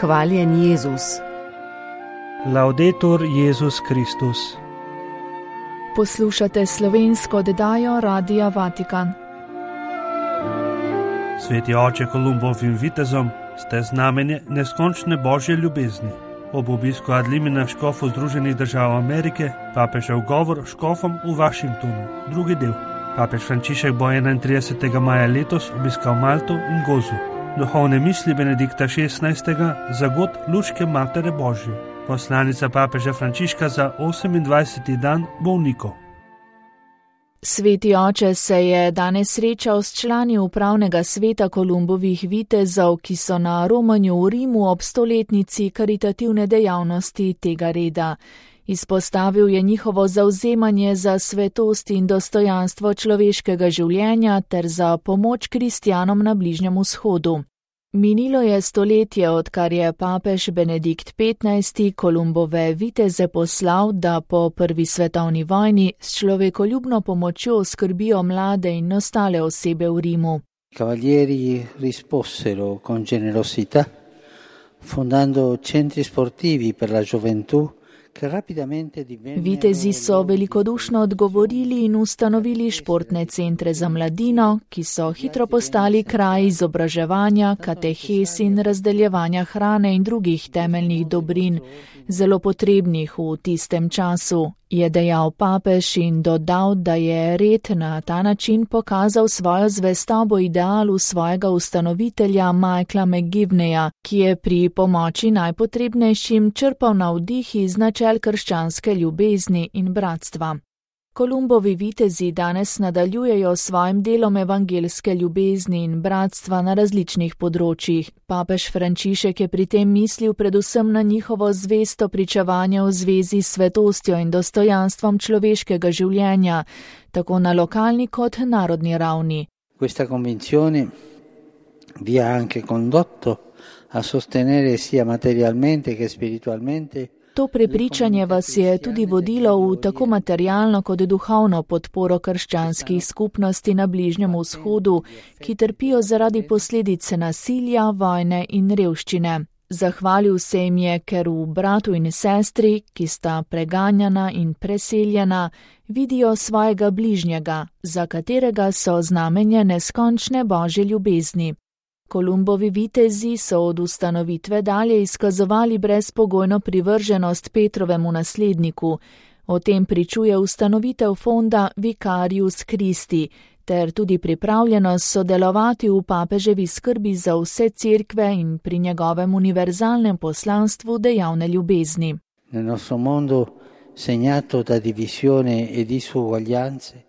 Hvaljen Jezus. Laudetur Jezus Kristus. Poslušate slovensko oddajo Radia Vatikan. Sveti oče Kolumbovim vitezom ste znamenje neskončne božje ljubezni. Ob obisku ad limina škofov Združenih držav Amerike, papežev govor škofom v Washingtonu, drugi del. Papež Frančišek bo 31. maja letos obiskal Malto in Gozu. Duhovne misli Benedikta XVI. Za god luške Matere Božje. Poslanica papeža Frančiška za 28. dan bolnikov. Sveti oče se je danes srečal s člani upravnega sveta Kolumbovih vitezov, ki so na romanju v Rimu ob 100-letnici karitativne dejavnosti tega reda. Izpostavil je njihovo zavzemanje za svetost in dostojanstvo človeškega življenja ter za pomoč kristjanom na Bližnjem vzhodu. Minilo je stoletje, odkar je papež Benedikt XV. Kolumbove viteze poslal, da po prvi svetovni vojni s človekoljubno pomočjo skrbijo mlade in ostale osebe v Rimu. Cavalieri risposero con generosità, fondando centri sportivi per la gioventù. Vitezi so velikodušno odgovorili in ustanovili športne centre za mladino, ki so hitro postali kraj izobraževanja, katehes in razdeljevanja hrane in drugih temeljnih dobrin, zelo potrebnih v tistem času, je dejal papež in dodal, da je red na ta način pokazal svojo zvestobo idealu svojega ustanovitelja Michaela McGivneya, ki je pri pomoči najpotrebnejšim črpal navdih iz načel krščanske ljubezni in bratstva. Kolumbovi vitezi danes nadaljujejo s svojim delom evangelske ljubezni in bratstva na različnih področjih. Papež Frančišek je pri tem mislil predvsem na njihovo zvesto pričevanje v zvezi s svetostjo in dostojanstvom človeškega življenja, tako na lokalni kot narodni ravni. Questa convinzione vi ha anche condotto a sostenere sia materialmente che spiritualmente. To prepričanje vas je tudi vodilo v tako materialno kot duhovno podporo krščanskih skupnosti na Bližnjem vzhodu, ki trpijo zaradi posledice nasilja, vojne in revščine. Zahvalil se jim je, ker v bratu in sestri, ki sta preganjana in preseljena, vidijo svojega bližnjega, za katerega so znamenje neskončne božje ljubezni. Kolumbovi vitezi so od ustanovitve dalje izkazovali brezpogojno privrženost Petrovemu nasledniku. O tem pričuje ustanovitev fonda Vicarius Christi ter tudi pripravljenost sodelovati v papeževi skrbi za vse cerkve in pri njegovem univerzalnem poslanstvu dejavne ljubezni.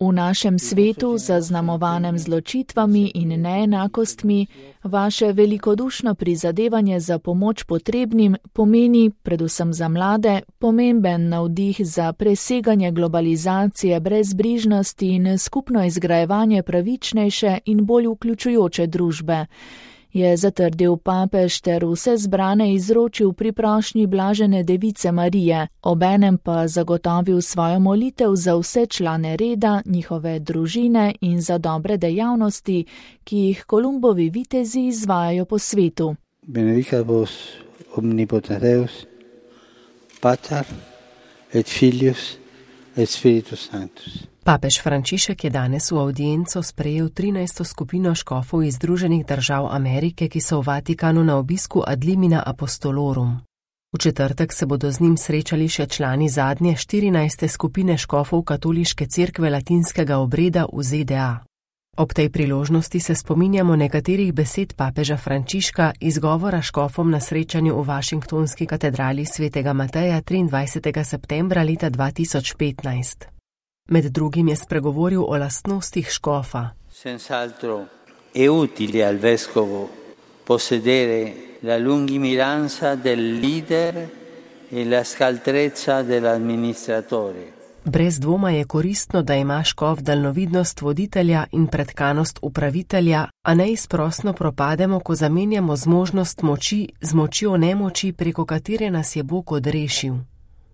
V našem svetu, zaznamovanem z ločitvami in neenakostmi, vaše velikodušno prizadevanje za pomoč potrebnim pomeni, predvsem za mlade, pomemben navdih za preseganje globalizacije, brezbrižnosti in skupno izgrajevanje pravičnejše in bolj vključujoče družbe. Je zatrdil papež ter vse zbrane izročil pri prošnji blažene device Marije, obenem pa zagotovil svojo molitev za vse člane reda, njihove družine in za dobre dejavnosti, ki jih Kolumbovi vitezi izvajajo po svetu. Benedicat vos omnipotens Deus, Pater et Filius et Spiritus Sanctus. Papež Frančišek je danes v audienco sprejel 13. skupino škofov iz Združenih držav Amerike, ki so v Vatikanu na obisku ad limina apostolorum. V četrtek se bodo z njim srečali še člani zadnje 14. skupine škofov katoliške cerkve latinskega obreda v ZDA. Ob tej priložnosti se spominjamo nekaterih besed papeža Frančiška iz govora škofom na srečanju v Washingtonski katedrali svetega Mateja 23. septembra leta 2015. Med drugim je spregovoril o lastnostih škofa. Senz'altro è utile al vescovo possedere la lungimiranza del leader e la scaltrezza dell'amministratore. Brez dvoma je koristno, da ima škof daljnovidnost voditelja in pretkanost upravitelja, a neizprosno propademo, ko zamenjamo zmožnost moči z močjo nemoči, preko katere nas je Bog odrešil.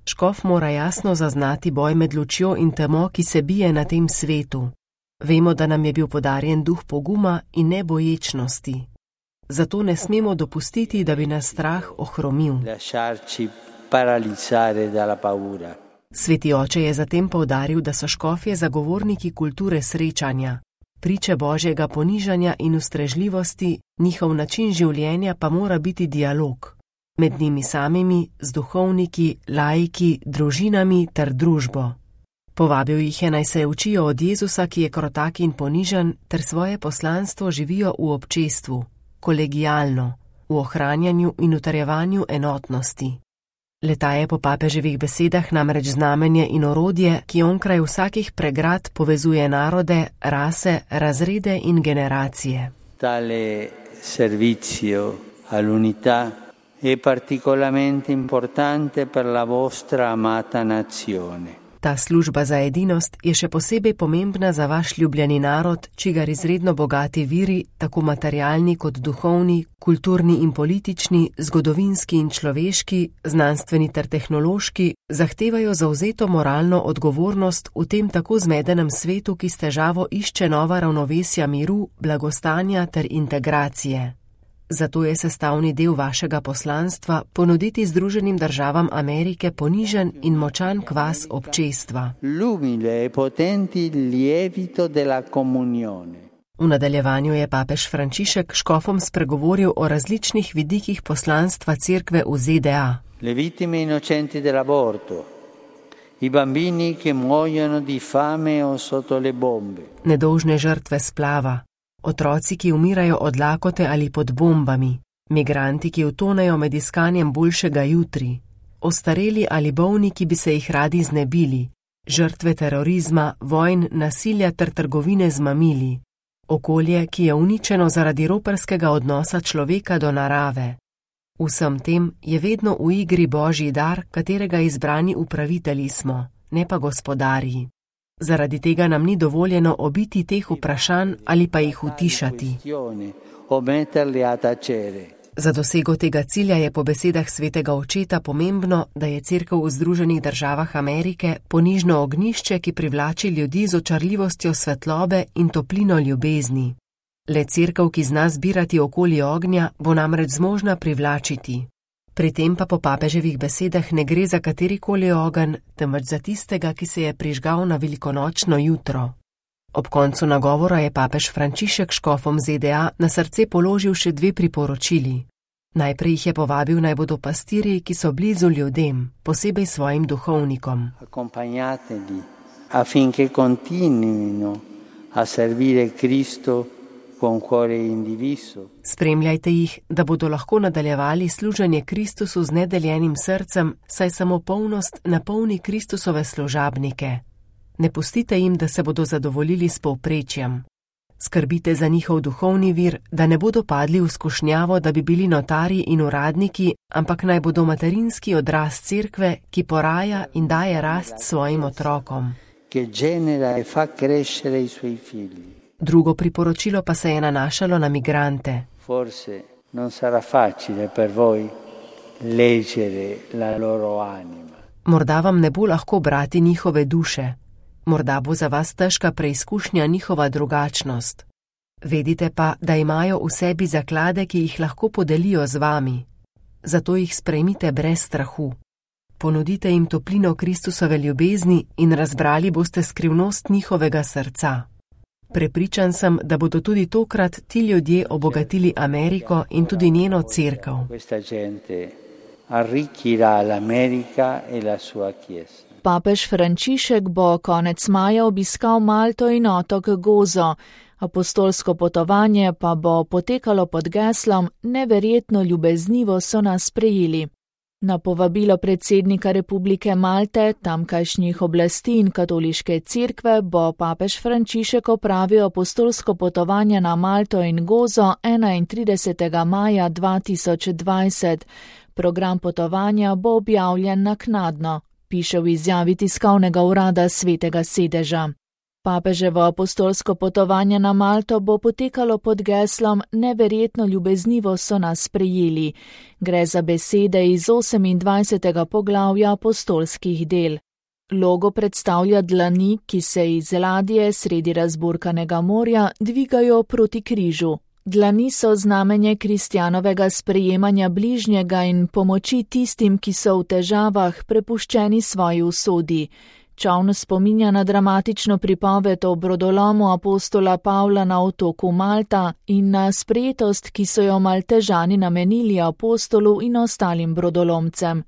Škof mora jasno zaznati boj med lučjo in temo, ki se bije na tem svetu. Vemo, da nam je bil podarjen duh poguma in neboječnosti. Zato ne smemo dopustiti, da bi nas strah ohromil. Sveti oče je zatem poudaril, da so škofje zagovorniki kulture srečanja, priče Božjega ponižanja in ustrežljivosti, njihov način življenja pa mora biti dialog. Med njimi samimi, z duhovniki, laiki, družinami ter družbo. Povabil jih je, naj se učijo od Jezusa, ki je krotak in ponižen, ter svoje poslanstvo živijo v občestvu, kolegialno, v ohranjanju in utrjevanju enotnosti. Le-ta je po papeževih besedah namreč znamenje in orodje, ki onkraj vsakih pregrad povezuje narode, rase, razrede in generacije. Tale servizio all'unità è particolarmente importante per la vostra amata nazione. Ta služba za edinost je še posebej pomembna za vaš ljubljeni narod, čigar izredno bogati viri, tako materialni kot duhovni, kulturni in politični, zgodovinski in človeški, znanstveni ter tehnološki, zahtevajo zavzeto moralno odgovornost v tem tako zmedenem svetu, ki s težavo išče nova ravnovesja miru, blagostanja ter integracije. Zato je sestavni del vašega poslanstva ponuditi Združenim državam Amerike ponižen in močan kvas občestva. V nadaljevanju je papež Frančišek škofom spregovoril o različnih vidikih poslanstva cerkve v ZDA. Le vittime innocenti dell'aborto, i bambini che muoiono di fame o sotto le bombe. Nedolžne žrtve splava. Otroci, ki umirajo od lakote ali pod bombami, migranti, ki utonejo med iskanjem boljšega jutri, ostareli ali bolni, ki bi se jih radi znebili, žrtve terorizma, vojn, nasilja ter trgovine z mamili, okolje, ki je uničeno zaradi roparskega odnosa človeka do narave. Vsem tem je vedno v igri Božji dar, katerega izbrani upravitelji smo, ne pa gospodarji. Zaradi tega nam ni dovoljeno obiti teh vprašanj ali pa jih utišati. Za dosego tega cilja je po besedah svetega očeta pomembno, da je cerkev v Združenih državah Amerike ponižno ognjišče, ki privlači ljudi z očarljivostjo svetlobe in toplino ljubezni. Le cerkev, ki zna zbirati okoli ognja, bo namreč zmožna privlačiti. Pri tem pa po papeževih besedah ne gre za katerikoli ogenj, temveč za tistega, ki se je prižgal na velikonočno jutro. Ob koncu nagovora je papež Frančišek škofom ZDA na srce položil še 2 priporočili. Najprej jih je povabil, naj bodo pastirji, ki so blizu ljudem, posebej svojim duhovnikom. Accompagnateli affinché continuino a servire Cristo con cuore indiviso. Spremljajte jih, da bodo lahko nadaljevali služenje Kristusu z nedeljenim srcem, saj samo polnost napolni Kristusove služabnike. Ne pustite jim, da se bodo zadovoljili s povprečjem. Skrbite za njihov duhovni vir, da ne bodo padli v skušnjavo, da bi bili notarji in uradniki, ampak naj bodo materinski odraz cerkve, ki poraja in daje rast svojim otrokom. Che genera e fa crescere i suoi figli. Drugo priporočilo pa se je nanašalo na migrante. Forse non sarà facile per voi leggere la loro anima. Morda vam ne bo lahko brati njihove duše. Morda bo za vas težka preizkušnja njihova drugačnost. Vedite pa, da imajo v sebi zaklade, ki jih lahko podelijo z vami. Zato jih sprejmite brez strahu. Ponudite jim toplino Kristusove ljubezni in razbrali boste skrivnost njihovega srca. Prepričan sem, da bodo tudi tokrat ti ljudje obogatili Ameriko in tudi njeno cerkev. Papež Frančišek bo konec maja obiskal Malto in otok Gozo. Apostolsko potovanje pa bo potekalo pod geslom Neverjetno ljubeznivo so nas sprejeli. Na povabilo predsednika Republike Malte, tamkajšnjih oblasti in katoliške cerkve bo papež Frančišek opravil apostolsko potovanje na Malto in Gozo 31. maja 2020. Program potovanja bo objavljen naknadno, piše v izjavi tiskovnega urada Svetega sedeža. Papeževo apostolsko potovanje na Malto bo potekalo pod geslom Neverjetno ljubeznivo so nas sprejeli. Gre za besede iz 28. poglavja apostolskih del. Logo predstavlja dlani, ki se iz ladje sredi razburkanega morja dvigajo proti križu. Dlani so znamenje kristjanovega sprejemanja bližnjega in pomoči tistim, ki so v težavah, prepuščeni svoji usodi. Čoln spominja na dramatično pripoved o brodolomu apostola Pavla na otoku Malta in na sprejetost, ki so jo Maltežani namenili apostolu in ostalim brodolomcem.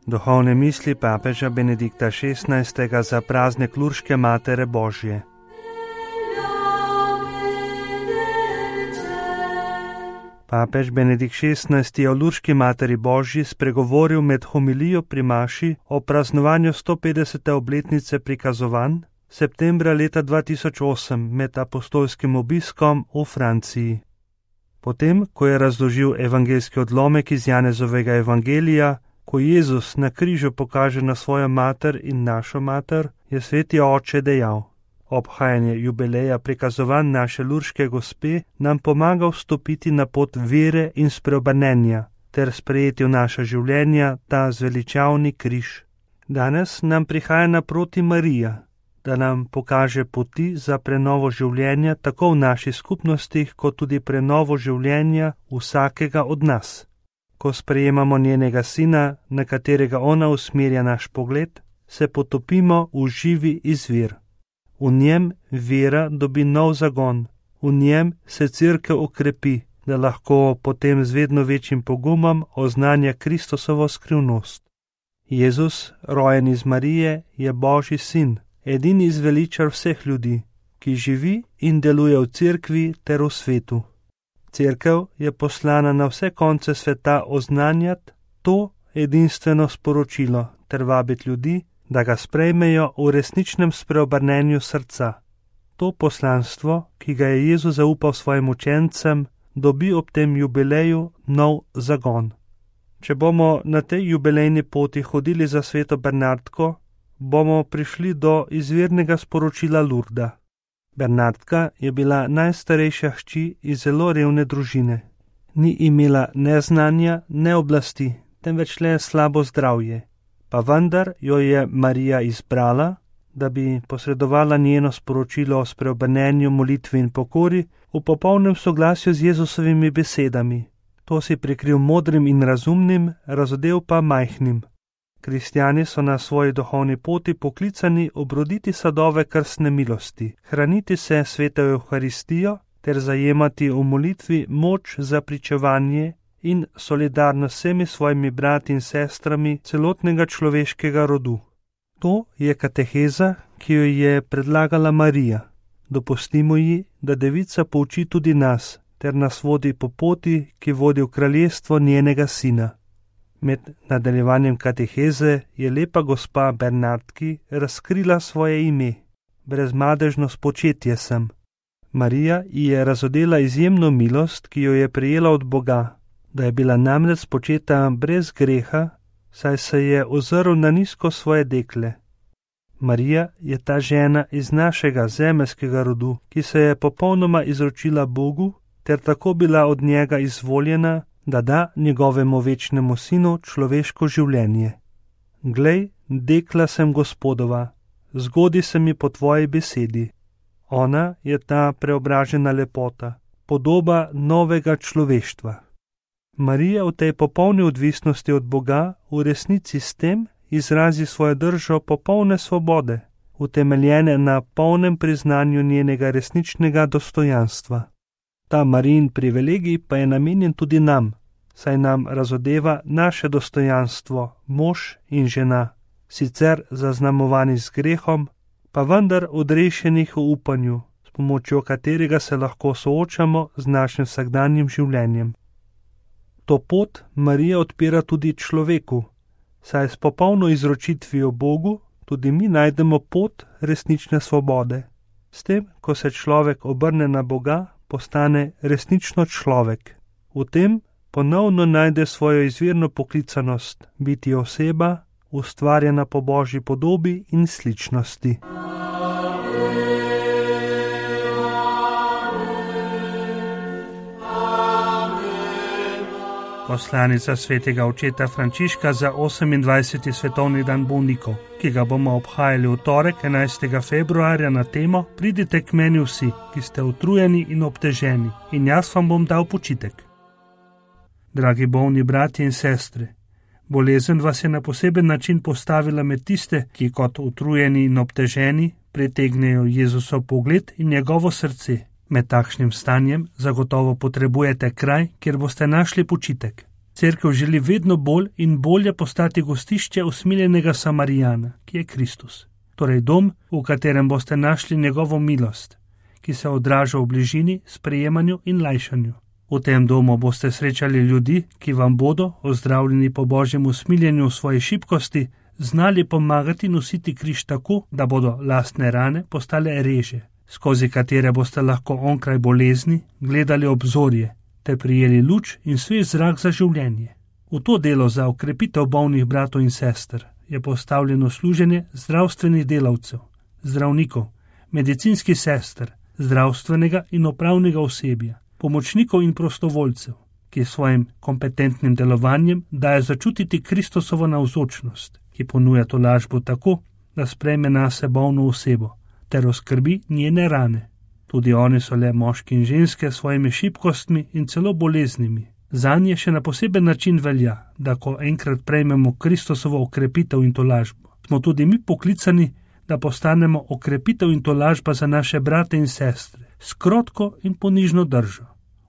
Duhovne misli papeža Benedikta XVI. Za praznik Lurške Matere Božje. Papež Benedikt XVI. Je o Lurški Materi Božji spregovoril med homilijo pri maši o praznovanju 150. obletnice prikazovanj septembra leta 2008 med apostolskim obiskom v Franciji. Potem, ko je razložil evangeljski odlomek iz Janezovega evangelija, ko Jezus na križu pokaže na svojo mater in našo mater, je sveti oče dejal: obhajanje jubileja prikazovanj naše Lurške gospe nam pomaga vstopiti na pot vere in spreobrnenja ter sprejeti v naša življenja ta zveličavni križ. Danes nam prihaja naproti Marija, da nam pokaže poti za prenovo življenja tako v naših skupnostih, kot tudi prenovo življenja vsakega od nas. Ko sprejemamo njenega sina, na katerega ona usmerja naš pogled, se potopimo v živi izvir. V njem vera dobi nov zagon, v njem se cerkev okrepi, da lahko potem z vedno večjim pogumom oznanja Kristusovo skrivnost. Jezus, rojen iz Marije, je Božji sin, edini zveličar vseh ljudi, ki živi in deluje v cerkvi ter v svetu. Cerkev je poslana na vse konce sveta oznanjati to edinstveno sporočilo ter vabiti ljudi, da ga sprejmejo v resničnem spreobrnenju srca. To poslanstvo, ki ga je Jezus zaupal svojim učencem, dobi ob tem jubileju nov zagon. Če bomo na tej jubilejni poti hodili za sveto Bernardko, bomo prišli do izvirnega sporočila Lurda. Bernardka je bila najstarejša hči iz zelo revne družine. Ni imela ne znanja, ne oblasti, temveč le slabo zdravje. Pa vendar jo je Marija izbrala, da bi posredovala njeno sporočilo o spreobrnenju, molitvi in pokori v popolnem soglasju z Jezusovimi besedami. To si prikril modrim in razumnim, razodel pa majhnim. Kristjani so na svoji duhovni poti poklicani obroditi sadove krstne milosti, hraniti se sveto Evharistijo ter zajemati v molitvi moč za pričevanje in solidarnost s vsemi svojimi brati in sestrami celotnega človeškega rodu. To je kateheza, ki jo je predlagala Marija. Dopustimo ji, da devica pouči tudi nas, ter nas vodi po poti, ki vodi v kraljestvo njenega sina. Med nadaljevanjem kateheze je lepa gospa Bernardki razkrila svoje ime. Brezmadežno spočetje sem. Marija ji je razodela izjemno milost, ki jo je prejela od Boga, da je bila namreč spočeta brez greha, saj se je ozrl na nizko svoje dekle. Marija je ta žena iz našega zemeljskega rodu, ki se je popolnoma izročila Bogu, ter tako bila od njega izvoljena, da da njegovemu večnemu sinu človeško življenje. Glej, dekla sem Gospodova, zgodi se mi po tvoji besedi. Ona je ta preobražena lepota, podoba novega človeštva. Marija v tej popolni odvisnosti od Boga v resnici s tem izrazi svojo držo popolne svobode, utemeljene na polnem priznanju njenega resničnega dostojanstva. Ta Marijin privilegij pa je namenjen tudi nam, saj nam razodeva naše dostojanstvo, mož in žena, sicer zaznamovani z grehom, pa vendar odrešenih v upanju, s pomočjo katerega se lahko soočamo z našim vsakdanjim življenjem. To pot Marija odpira tudi človeku, saj s popolno izročitvijo Bogu tudi mi najdemo pot resnične svobode. S tem, ko se človek obrne na Boga, postane resnično človek. V tem ponovno najde svojo izvirno poklicanost, biti oseba, ustvarjena po Božji podobi in sličnosti. Poslanica svetega očeta Frančiška za 28. svetovni dan bolnikov, ki ga bomo obhajali v torek 11. februarja na temo Pridite k meni vsi, ki ste utrujeni in obteženi, in jaz vam bom dal počitek. Dragi bolni bratje in sestre, bolezen vas je na poseben način postavila med tiste, ki kot utrujeni in obteženi pritegnejo Jezusov pogled in njegovo srce. Med takšnim stanjem zagotovo potrebujete kraj, kjer boste našli počitek. Cerkev želi vedno bolj in bolje postati gostišče usmiljenega Samarijana, ki je Kristus. Torej dom, v katerem boste našli njegovo milost, ki se odraža v bližini, sprejemanju in lajšanju. V tem domu boste srečali ljudi, ki vam bodo, ozdravljeni po Božjem usmiljenju v svoji šibkosti, znali pomagati nositi križ tako, da bodo lastne rane postale reže, skozi katere boste lahko onkraj bolezni gledali obzorje, ter prijeli luč in svež zrak za življenje. V to delo za okrepitev bolnih bratov in sester je postavljeno služenje zdravstvenih delavcev, zdravnikov, medicinskih sester, zdravstvenega in upravnega osebja, pomočnikov in prostovoljcev, ki svojim kompetentnim delovanjem daje začutiti Kristusovo navzočnost, ki ponuja tolažbo tako, da sprejme nase bolno osebo ter oskrbi njene rane. Tudi oni so le moški in ženske s svojimi šibkostmi in celo boleznimi. Zanje še na poseben način velja, da ko enkrat prejmemo Kristusovo okrepitev in tolažbo, smo tudi mi poklicani, da postanemo okrepitev in tolažba za naše brate in sestre, s krotko in ponižno držo,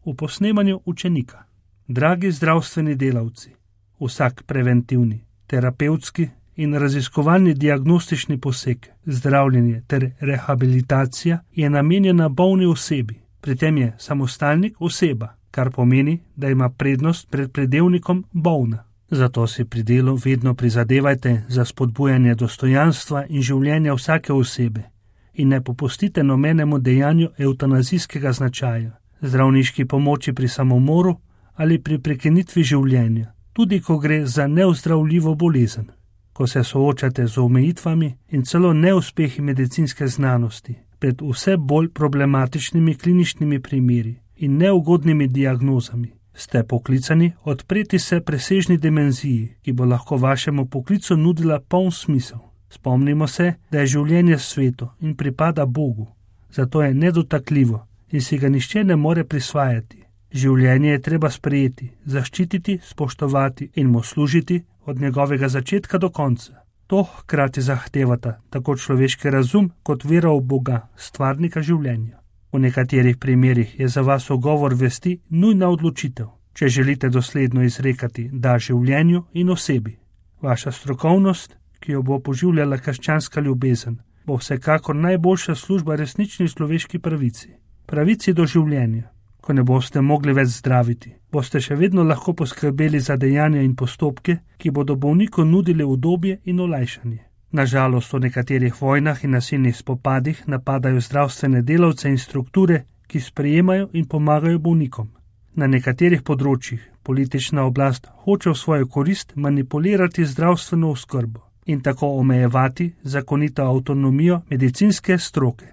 v posnemanju učenika. Dragi zdravstveni delavci, vsak preventivni, terapevtski in raziskovalni diagnostični poseg, zdravljenje ter rehabilitacija je namenjena bolni osebi. Pri tem je samostalnik oseba, kar pomeni, da ima prednost pred pridevnikom bolna. Zato si pri delu vedno prizadevajte za spodbujanje dostojanstva in življenja vsake osebe in ne popustite nobenemu dejanju evtanazijskega značaja, zdravniški pomoči pri samomoru ali pri prekinitvi življenja, tudi ko gre za neozdravljivo bolezen. Ko se soočate z omejitvami in celo neuspehi medicinske znanosti pred vse bolj problematičnimi kliničnimi primeri in neugodnimi diagnozami, ste poklicani odpreti se presežni dimenziji, ki bo lahko vašemu poklicu nudila poln smisel. Spomnimo se, da je življenje sveto in pripada Bogu, zato je nedotakljivo in si ga nihče ne more prisvajati. Življenje je treba sprejeti, zaščititi, spoštovati in mu služiti od njegovega začetka do konca. To hkrati zahtevata tako človeški razum kot vera v Boga, stvarnika življenja. V nekaterih primerih je za vas ugovor vesti nujna odločitev, če želite dosledno izrekati da življenju in osebi. Vaša strokovnost, ki jo bo poživljala krščanska ljubezen, bo vsekakor najboljša služba resnični človeški pravici. Pravici do življenja. Ko ne boste mogli več zdraviti, boste še vedno lahko poskrbeli za dejanja in postopke, ki bodo bolniku nudili udobje in olajšanje. Nažalost, v nekaterih vojnah in nasilnih spopadih napadajo zdravstvene delavce in strukture, ki sprejemajo in pomagajo bolnikom. Na nekaterih področjih politična oblast hoče v svojo korist manipulirati zdravstveno oskrbo in tako omejevati zakonito avtonomijo medicinske stroke.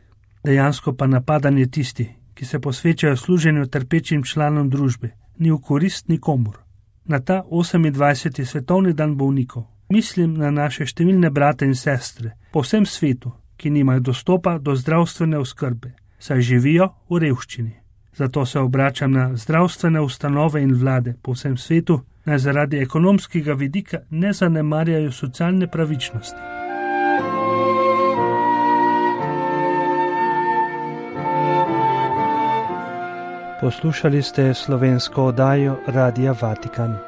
Dejansko pa napadanje tisti, ki se posvečajo služenju trpečim članom družbe, ni v korist nikomur. Na ta 28. svetovni dan bolnikov mislim na naše številne brate in sestre po vsem svetu, ki nimajo dostopa do zdravstvene oskrbe, saj živijo v revščini. Zato se obračam na zdravstvene ustanove in vlade po vsem svetu, naj zaradi ekonomskega vidika ne zanemarjajo socialne pravičnosti. Poslušali ste slovensko oddajo Radia Vatikan.